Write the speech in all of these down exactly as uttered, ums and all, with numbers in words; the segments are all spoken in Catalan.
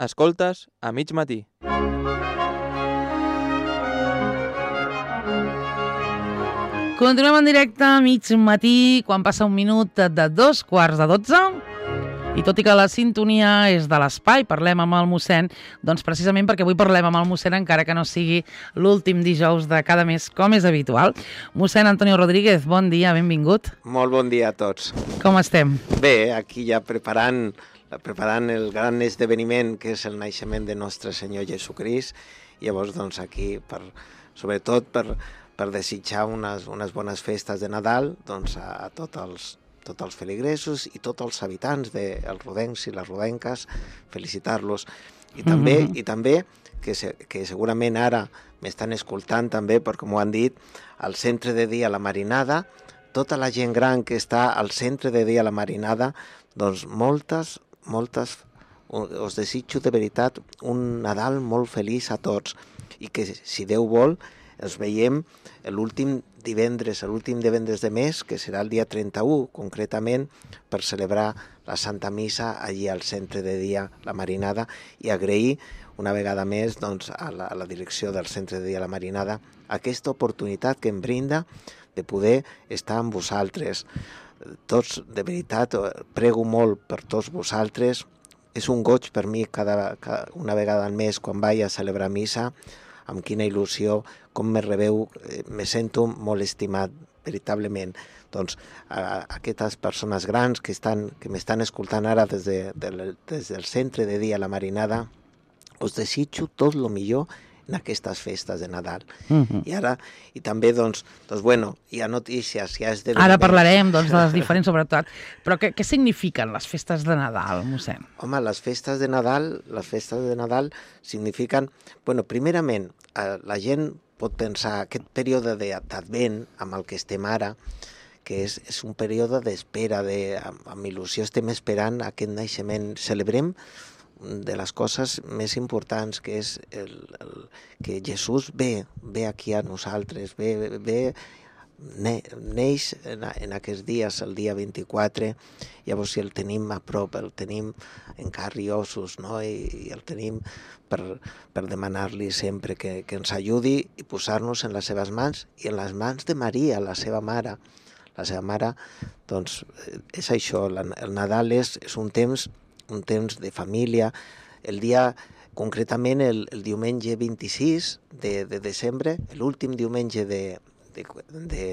Escoltes a mig matí. Continuem en directe a mig matí, quan passa un minut de dos quarts de dotze. I tot i que la sintonia és de l'espai, parlem amb el mossèn, doncs precisament perquè avui parlem amb el mossèn, encara que no sigui l'últim dijous de cada mes, com és habitual. Mossèn Antonio Rodríguez, bon dia, benvingut. Molt bon dia a tots. Com estem? Bé, aquí ja preparant, preparant el gran esdeveniment que és el naixement de nostre Senyor Jesucrist. I llavors, doncs, aquí, per, sobretot per, per desitjar unes, unes bones festes de Nadal, doncs, a, a tots els tots els feligresos i tots els habitants dels rodencs i les rodenques, felicitar-los. I també, mm-hmm. i també que, se, que segurament ara m'estan escoltant també, perquè m'ho han dit, al centre de dia La Marinada, tota la gent gran que està al centre de dia La Marinada, doncs moltes, moltes, us desitjo de veritat un Nadal molt feliç a tots i que, si Déu vol, ens veiem l'últim divendres, l'últim divendres de mes, que serà el dia trenta-u, concretament, per celebrar la Santa Missa allí al centre de dia La Marinada i agrair una vegada més doncs, a, la, a la direcció del centre de dia La Marinada aquesta oportunitat que em brinda de poder estar amb vosaltres. Tots, de veritat, prego molt per tots vosaltres. És un goig per mi cada, cada una vegada al mes quan vaig a celebrar missa, amb quina il·lusió, com me rebeu, me sento molt estimat, veritablement. Doncs a, a aquestes persones grans que, estan, que m'estan escoltant ara des, de, de, des del centre de dia La Marinada, us desitjo tot el millor en aquestes festes de Nadal. Mm-hmm. I ara, i també, doncs, doncs bueno, hi ha notícies, hi ha esdeveniments. Ara parlarem, doncs, de les diferents, sobretot. Però què, què signifiquen les festes de Nadal, mossèn? Home, les festes de Nadal, les festes de Nadal signifiquen, bueno, primerament, eh, la gent pot pensar aquest període d'Advent amb el que estem ara, que és, és un període d'espera, de, amb, amb il·lusió estem esperant aquest naixement. Celebrem de les coses més importants, que és el, el, que Jesús ve, ve aquí a nosaltres, ve, ve ne, neix en, en aquests dies, el dia vint-i-quatre, llavors si el tenim a prop, el tenim en carn i ossos, no? I, i el tenim per, per demanar-li sempre que, que ens ajudi i posar-nos en les seves mans i en les mans de Maria, la seva mare. La seva mare, doncs, és això, la, el Nadal és, és un temps un temps de família. El dia, concretament el, el diumenge vint-i-sis de, de desembre, l'últim diumenge de, de, de,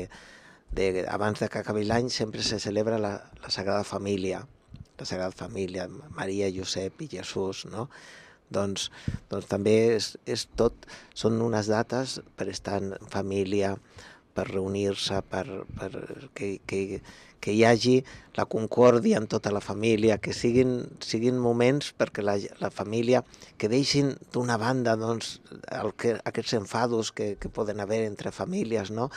de, abans de que acabi l'any, sempre se celebra la, la Sagrada Família, la Sagrada Família, Maria, Josep i Jesús, no? Doncs, doncs també és, és tot, són unes dates per estar en família, per reunir-se, per, per que, que, que hi hagi la concòrdia en tota la família, que siguin, siguin moments perquè la, la família, que deixin d'una banda doncs, el que, aquests enfados que, que poden haver entre famílies, no?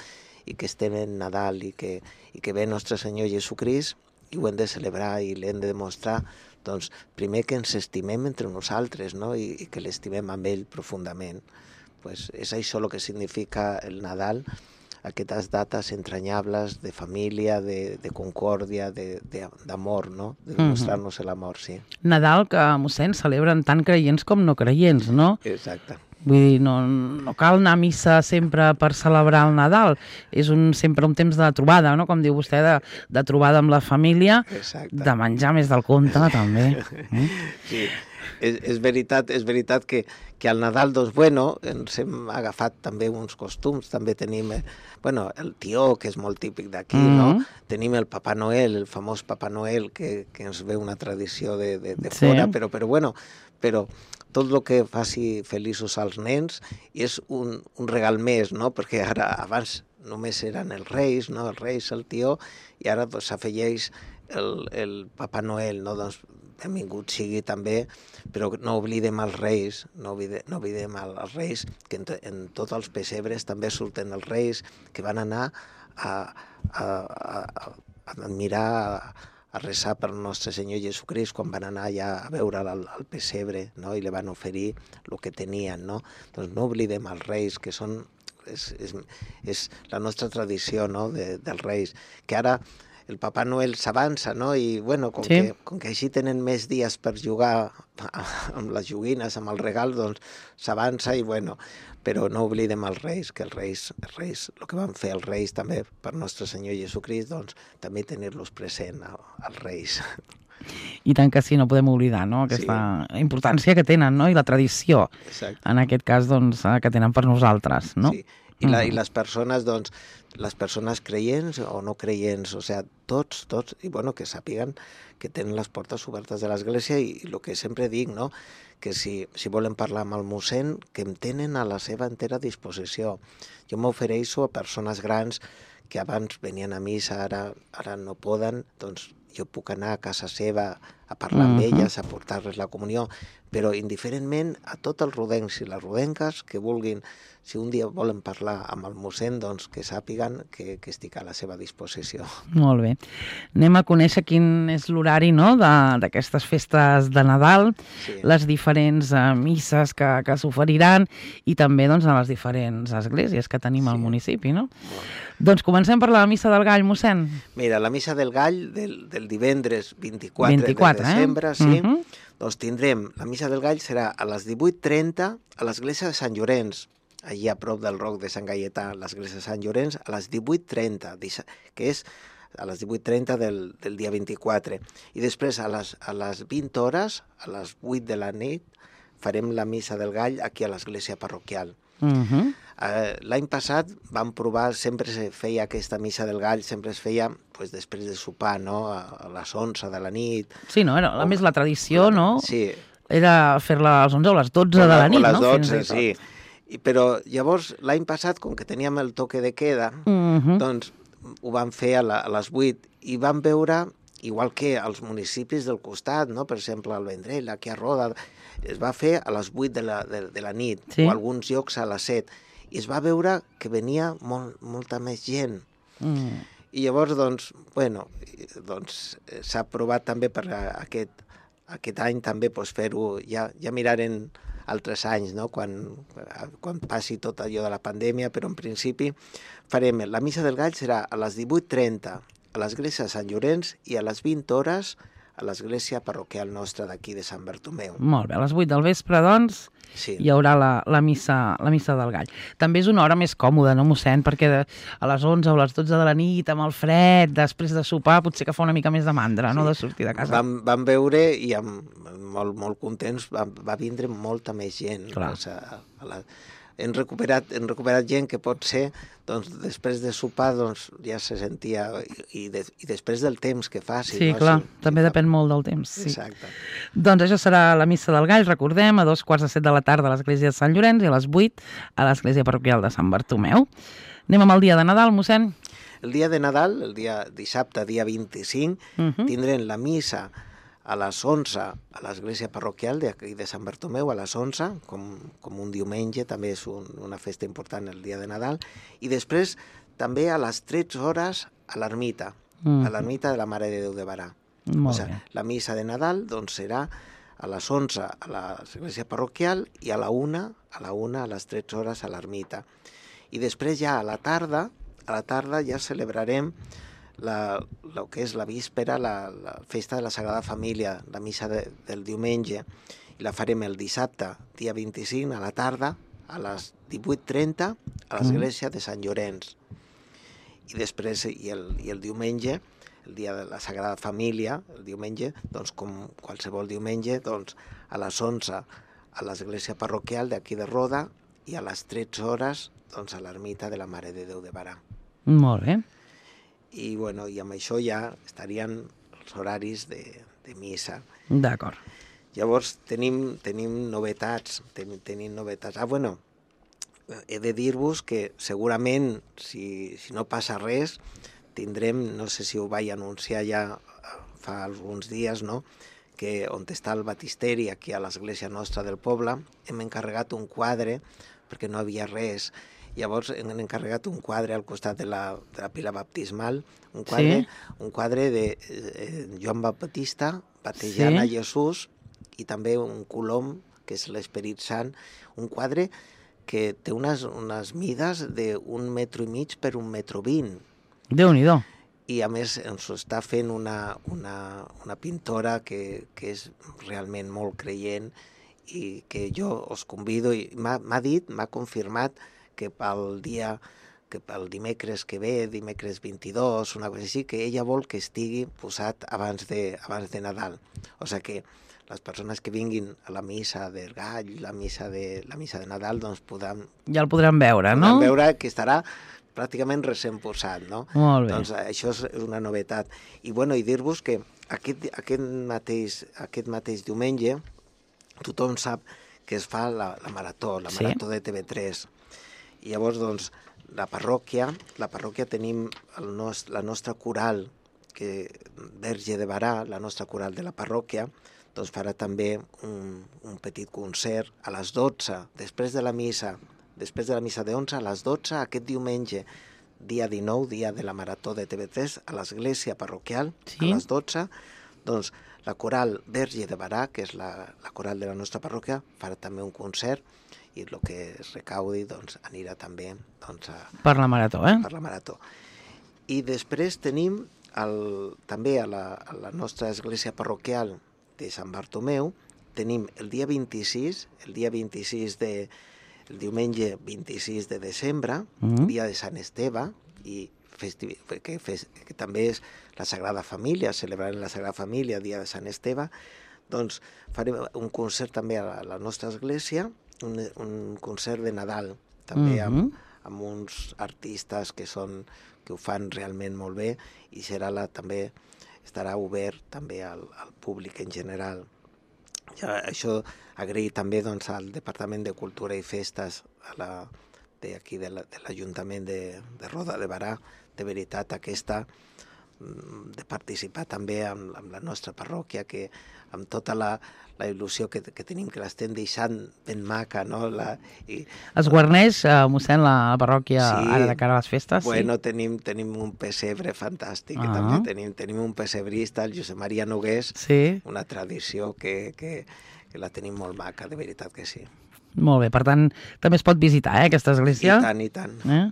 I que estem en Nadal i que, i que ve nostre Senyor Jesucrist i ho hem de celebrar i l'hem de demostrar, doncs, primer que ens estimem entre nosaltres, no? I, i que l'estimem amb ell profundament. Pues és això el que significa el Nadal, aquestes dates entranyables de família, de, de concòrdia, d'amor, no? De demostrar-nos mm-hmm. l'amor, sí. Nadal que, mossèn, celebren tant creients com no creients, no? Exacte. Vull dir, no, no cal anar a missa sempre per celebrar el Nadal. És un, sempre un temps de trobada, no? Com diu vostè, de, de trobada amb la família. Exacte. De menjar més del compte, també. Mm? Sí. És, és veritat, és veritat que, que al Nadal, doncs, bueno, ens hem agafat també uns costums, també tenim, eh, bueno, el tió, que és molt típic d'aquí, mm-hmm. no? Tenim el Papa Noel, el famós Papa Noel, que, que ens ve una tradició de, de, de sí. fora, però, però, bueno, però tot el que faci feliços als nens és un, un regal més, no? Perquè ara, abans només eren els reis, no? Els reis, el tió, i ara doncs, s'afegeix el, el Papa Noel, no? Doncs, benvingut sigui també, però no oblidem els reis, no oblidem, no oblidem els reis, que en, en tots els pessebres també surten els reis que van anar a, a, a, a admirar, a, a resar per nostre Senyor Jesucrist quan van anar ja a veure al, al pessebre, no? I li van oferir el que tenien, no? Doncs no oblidem els reis, que són, és, és, és la nostra tradició, no? De, dels reis, que ara el Papà Noel s'avança, no? I, bueno, com, Sí. que, com que així tenen més dies per jugar amb les joguines, amb el regal, doncs s'avança i, bueno, però no oblidem els reis, que els reis, els reis, el que van fer els reis també per Nostre Senyor Jesucrist, doncs també tenir-los present als reis. I tant que sí, no podem oblidar, no?, aquesta sí. importància que tenen, no?, i la tradició, Exacte. en aquest cas, doncs, que tenen per nosaltres, no? Sí. I, la, I les persones, doncs, les persones creients o no creients, o sigui, tots, tots, i bueno, que sàpiguen que tenen les portes obertes de l'Església i, i el que sempre dic, no?, que si, si volen parlar amb el mossèn, que em tenen a la seva entera disposició. Jo m'ofereixo a persones grans que abans venien a missa, ara, ara no poden, doncs jo puc anar a casa seva a parlar amb Mhm. elles, a portar-les la comunió, però indiferentment a tots els rodencs i les rodenques que vulguin, si un dia volen parlar amb el mossèn, doncs que sàpiguen que, que estic a la seva disposició. Molt bé. Anem a conèixer quin és l'horari, no?, de- d'aquestes festes de Nadal, Sí. les diferents eh, misses que, que s'oferiran i també, doncs, a les diferents esglésies que tenim al Sí. municipi, no? Molt. Doncs comencem per la missa del Gall, mossèn. Mira, la missa del Gall del, del divendres vint-i-quatre, vint-i-quatre, de desembre, sí, Mhm. doncs tindrem, la missa del Gall serà a les divuit trenta a l'església de Sant Llorenç, allí a prop del Roc de Sant Gaietà, l'església de Sant Llorenç, a les divuit trenta, que és a les divuit trenta del, del dia vint-i-quatre. I després a les, a les vint hores, a les vuit de la nit, farem la missa del Gall aquí a l'església parroquial. Mhm. Eh, L'any passat vam provar, sempre se feia aquesta missa del Gall, sempre es feia pues, després de sopar, no?, a, a les onze de la nit. Sí, no? Era, a més, la tradició, no?, Sí. era fer-la a les onze o a les dotze de la O nit, les no? dotze, Fins i tot. sí. I, però llavors, l'any passat, com que teníem el toque de queda, Mhm. doncs ho vam fer a, la, a les vuit i vam veure, igual que als municipis del costat, no? Per exemple, al Vendrell, aquí a Roda, es va fer a les vuit de la, de, de la nit, Sí. o alguns llocs a les set, i es va veure que venia molt, molta més gent. Mm. I llavors, doncs, bueno, doncs eh, s'ha provat també per a- aquest, aquest any també pues, fer-ho, ja, ja miraren altres anys, no?, quan, quan passi tot allò de la pandèmia, però en principi farem, la missa del Gall serà a les divuit trenta a l'església de Sant Llorenç i a les vint hores a l'església parroquial nostra d'aquí de Sant Bartomeu. Molt bé, a les vuit del vespre, doncs, Sí. hi haurà la, la, missa, la missa del Gall. També és una hora més còmoda, no, mossèn? Perquè de, a les onze o a les dotze de la nit, amb el fred, després de sopar, potser que fa una mica més de mandra, no?, de sortir de casa. Vam, vam veure i amb, molt, molt contents va, va vindre molta més gent. Clar. O sigui, a la, hem, recuperat, hem recuperat gent que pot ser, doncs, després de sopar doncs, ja se sentia, i, i, de, i després del temps que faci. Sí, no? clar, Si- també si fa- depèn molt del temps. Sí. Exacte. Doncs això serà la missa del Gall, recordem, a dos quarts de set de la tarda a l'església de Sant Llorenç i a les vuit a l'església parroquial de Sant Bartomeu. Anem amb el dia de Nadal, mossèn. El dia de Nadal, el dia dissabte, dia vint-i-cinc, Mhm. tindrem la missa a les onze a l'església parroquial d'aquí de Sant Bartomeu, a les onze, com, com un diumenge, també és un, una festa important el dia de Nadal, i després també a les tretze hores a l'ermita, Mhm. a l'ermita de la Mare de Déu de Barà. Molt o sigui, bé. la missa de Nadal doncs, serà a les onze a l'església parroquial i a la una, a la una a les tretze hores a l'ermita. I després ja a la tarda, a la tarda ja celebrarem la, el que és la víspera, la, la festa de la Sagrada Família, la missa de, del diumenge, i la farem el dissabte, dia vint-i-cinc, a la tarda, a les divuit trenta, a l'església de Sant Llorenç. I després, i el, i el diumenge, el dia de la Sagrada Família, el diumenge, doncs com qualsevol diumenge, doncs a les onze a l'església parroquial d'aquí de Roda i a les tretze hores doncs, a l'ermita de la Mare de Déu de Barà. Molt bé. I, bueno, i amb això ja estarien els horaris de, de missa. D'acord. Llavors tenim, tenim novetats, tenim, tenim novetats. Ah, bueno, he de dir-vos que segurament, si, si no passa res, tindrem, no sé si ho vaig anunciar ja fa alguns dies, no?, que on està el batisteri, aquí a l'església nostra del poble, hem encarregat un quadre, perquè no havia res. Llavors hem encarregat un quadre al costat de la, de la pila baptismal, un quadre, Sí. un quadre de eh, Joan Baptista batejant Sí. a Jesús, i també un colom, que és l'Esperit Sant, un quadre que té unes, unes mides d'un metro i mig per un metro vint. Déu-n'hi-do. i a més ens ho està fent una, una, una pintora que, que és realment molt creient i que jo us convido, i m'ha dit, m'ha confirmat que pel dia, que pel dimecres que ve, dimecres vint-i-dos, una cosa així, que ella vol que estigui posat abans de, abans de Nadal. O sigui que les persones que vinguin a la missa del Gall, la missa de, la missa de Nadal, doncs podran... Ja el podran veure, no? Podran veure que estarà pràcticament recent posat, no? Molt bé. Doncs això és una novetat. I, bueno, i dir-vos que aquest, aquest, mateix, aquest mateix diumenge tothom sap que es fa la, la marató, la Sí. marató de T V tres. I llavors, doncs, la parròquia, la parròquia tenim el nos, la nostra coral, que Verge de Barà, la nostra coral de la parròquia, doncs farà també un, un petit concert a les dotze, després de la missa, després de la missa de onze, a les dotze, aquest diumenge, dia dinou, dia de la marató de T V tres, a l'església parroquial, Sí. a les dotze, doncs la coral Verge de Barà, que és la, la coral de la nostra parròquia, farà també un concert i el que es recaudi doncs, anirà també doncs, a, Per la marató, eh? per la marató. I després tenim el, també a la, a la nostra església parroquial de Sant Bartomeu, tenim el dia vint-i-sis, el dia vint-i-sis de, el diumenge vint-i-sis de desembre, Mhm. dia de Sant Esteve, i festi, que, fes, que també és la Sagrada Família, celebrant la Sagrada Família, dia de Sant Esteve, doncs farem un concert també a la, a la nostra església, un, un concert de Nadal, també Mhm. amb, amb uns artistes que són que ho fan realment molt bé, i serà la, també estarà obert també al, al públic en general. Ja, això agrair també doncs, al Departament de Cultura i Festes a la, de, aquí de l'Ajuntament la, de, de Roda de Barà, de veritat aquesta de participar també amb, amb la nostra parròquia, que amb tota la, la il·lusió que, que tenim, que l'estem deixant ben maca, no? La, i, Es guarneix, eh, mossèn, la, la parròquia Sí. ara de cara a les festes? bueno, tenim, tenim un pessebre fantàstic, Ah. que també tenim, tenim un pessebrista, el Josep Maria Nogués, Sí? una tradició que, que, que la tenim molt maca, de veritat que sí. Molt bé, per tant, també es pot visitar, eh, aquesta església? I tant, i tant. Eh?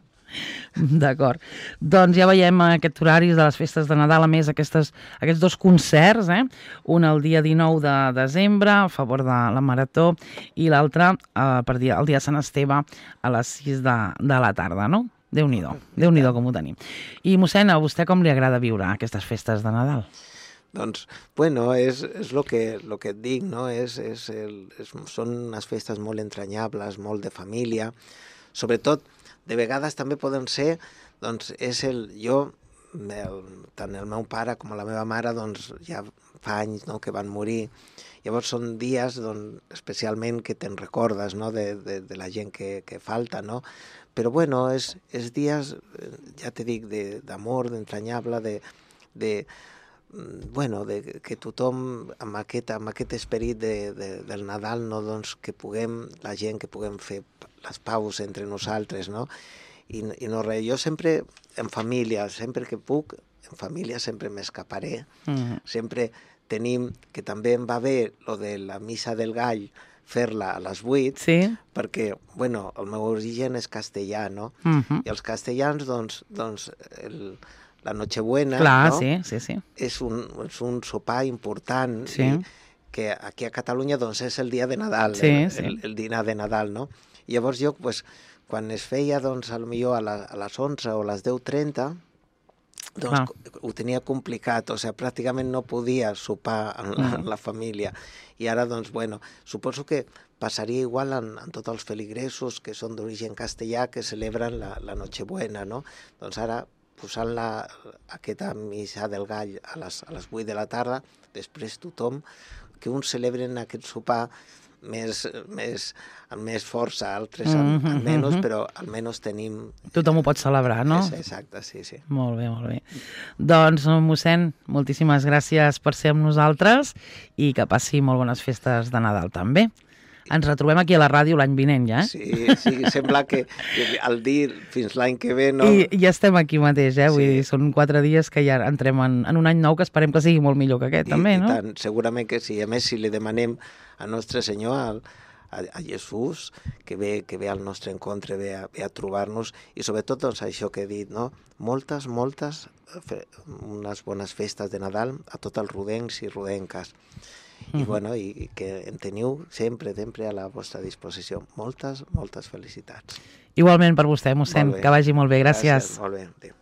D'acord. Doncs ja veiem aquests horaris de les festes de Nadal, a més aquestes, aquests dos concerts, eh? Un el dia dinou de desembre a favor de la marató i l'altre eh, per dia, el dia de Sant Esteve a les sis de, de la tarda, no? Déu-n'hi-do, Déu-n'hi-do com ho tenim. I mossèn, a vostè com li agrada viure aquestes festes de Nadal? Doncs, bueno, és, és lo que, lo que et dic, no? És, és el, és, són unes festes molt entranyables, molt de família, sobretot de vegades també poden ser, doncs és el, jo, el, tant el meu pare com la meva mare, doncs ja fa anys, no, que van morir, llavors són dies, doncs, especialment que te'n recordes, no, de, de, de la gent que, que falta, no? Però bueno, és, és dies, ja te dic, d'amor, d'entranyable, de, de, bueno, de, que tothom amb aquest, amb aquest esperit de, de, del Nadal, no, doncs, que puguem, la gent que puguem fer les paus entre nosaltres, no? I, i no res, jo sempre en família, sempre que puc, en família sempre m'escaparé, Mm. sempre tenim, que també em va bé lo de la missa del Gall, fer-la a les vuit, Sí? perquè, bueno, el meu origen és castellà, no? Mm-hmm. I els castellans, doncs, doncs el, la Nochebuena, Clar, no? sí, sí, sí. És un, és un sopar important, Sí. i que aquí a Catalunya doncs, és el dia de Nadal, Sí, el, sí. el, el dinar de Nadal, no? I llavors jo, pues, quan es feia, doncs, potser a, la, a les onze o a les deu trenta, doncs Clar. ho tenia complicat, o sigui, pràcticament no podia sopar amb la, Mm. la família. I ara, doncs, bueno, suposo que passaria igual en, en tots els feligresos que són d'origen castellà, que celebren la, la Nochebuena, no? Doncs ara, posant la, aquesta missa del Gall a les, a les vuit de la tarda, després tothom, que uns celebren aquest sopar més, més, amb més força, altres amb, Mhm, amb menys, mhm. però almenys tenim... Tothom ho pot celebrar, no? És, exacte, sí, sí. Molt bé, molt bé. Doncs, mossèn, moltíssimes gràcies per ser amb nosaltres i que passi molt bones festes de Nadal també. Ens retrobem aquí a la ràdio l'any vinent ja, eh? Sí, sí, sembla que, que al dir fins l'any que ve, no? I ja estem aquí mateix, eh? Vull Sí. dir, són quatre dies que ja entrem en, en un any nou que esperem que sigui molt millor que aquest, I, també, i no? tant, segurament que sí. A més, si li demanem a Nostre Senyor, al, a, a Jesús, que ve, que ve al nostre encontre, ve a, ve a trobar-nos, i sobretot doncs, això que he dit, no? moltes, moltes, unes bones festes de Nadal a tots els rodencs i rodenques. I, bueno, i que en teniu sempre, sempre a la vostra disposició. Moltes, moltes felicitats. Igualment per vostè, mossèn, que vagi molt bé. Gràcies. Gràcies, molt bé. Adéu.